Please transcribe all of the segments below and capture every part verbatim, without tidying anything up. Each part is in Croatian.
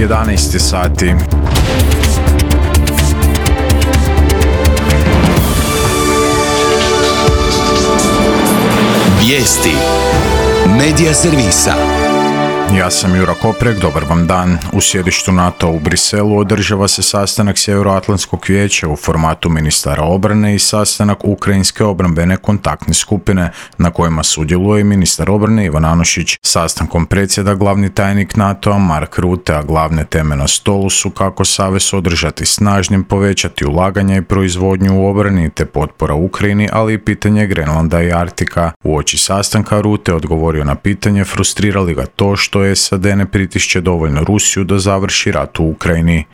jedanaest sati. Vijesti Medija servisa. Ja sam Jura Koprek, dobar vam dan. U sjedištu NATO u Briselu održava se sastanak Sjevernoatlantskog vijeća u formatu ministara obrane i sastanak Ukrajinske obrambene kontaktne skupine na kojima sudjeluje i ministar obrane Ivan Anušić. Sastankom predsjeda glavni tajnik NATO-a Mark Rutte, a glavne teme na stolu su kako savez održati snažnim, povećati ulaganja i proizvodnju u obrani te potpora Ukrajini, ali i pitanje Grenlanda i Arktika. Uoči sastanka Rutte odgovorio na pitanje frustrirali li ga to što S A D ne pritišće dovoljno Rusiju da završi rat u Ukrajini.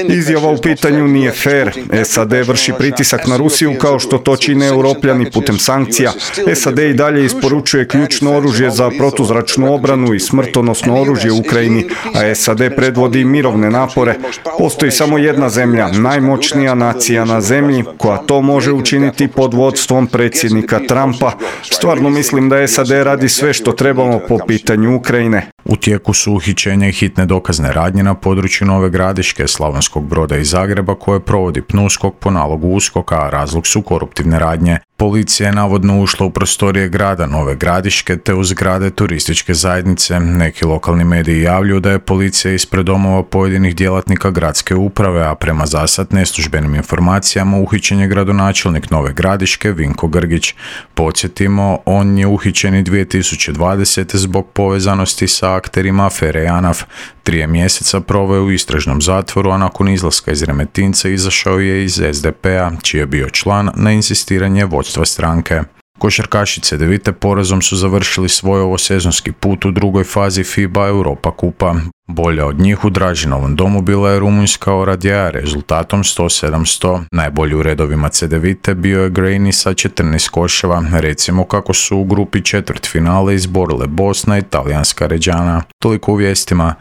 Izjava u pitanju nije fer. S A D vrši pritisak na Rusiju kao što to čine Europljani putem sankcija. S A D i dalje isporučuje ključno oružje za protuzračnu obranu i smrtonosno oružje u Ukrajini, a S A D predvodi mirovne napore. Postoji samo jedna zemlja, najmoćnija nacija na zemlji, koja to može učiniti pod vodstvom predsjednika Trumpa. Stvarno mislim da S A D radi sve što trebamo po pitanju Ukrajine. U tijeku su uhićenja i hitne dokazne radnje na području Nove Gradiške, Slavonskog Broda i Zagreba koje provodi PNUSKOK po nalogu USKOK-a, a razlog su koruptivne radnje. Policija je navodno ušla u prostorije grada Nove Gradiške te u zgrade turističke zajednice. Neki lokalni mediji javljaju da je policija ispred domova pojedinih djelatnika gradske uprave, a prema zasad neslužbenim informacijama uhićen je gradonačelnik Nove Gradiške Vinko Grgić. Podsjetimo, on je uhićen i dvije tisuće dvadesete zbog povezanosti sa akterima afere JANAF. Trije mjeseca proveo je u istražnom zatvoru, a nakon izlaska iz Remetinca izašao je iz S D P-a, čiji je bio član na insistiranje vodstva stranke. Košarkaši Cedevite porazom su završili svoj ovosezonski put u drugoj fazi FIBA Europa kupa. Bolja od njih u Dražinovom domu bila je rumunjska Oradea rezultatom sto sedam sto. Najbolji u redovima Cedevite bio je Grejni sa četrnaest koševa. Recimo kako su u grupi četvrtfinale izborile Bosna i talijanska Ređana. Toliko u vijestima.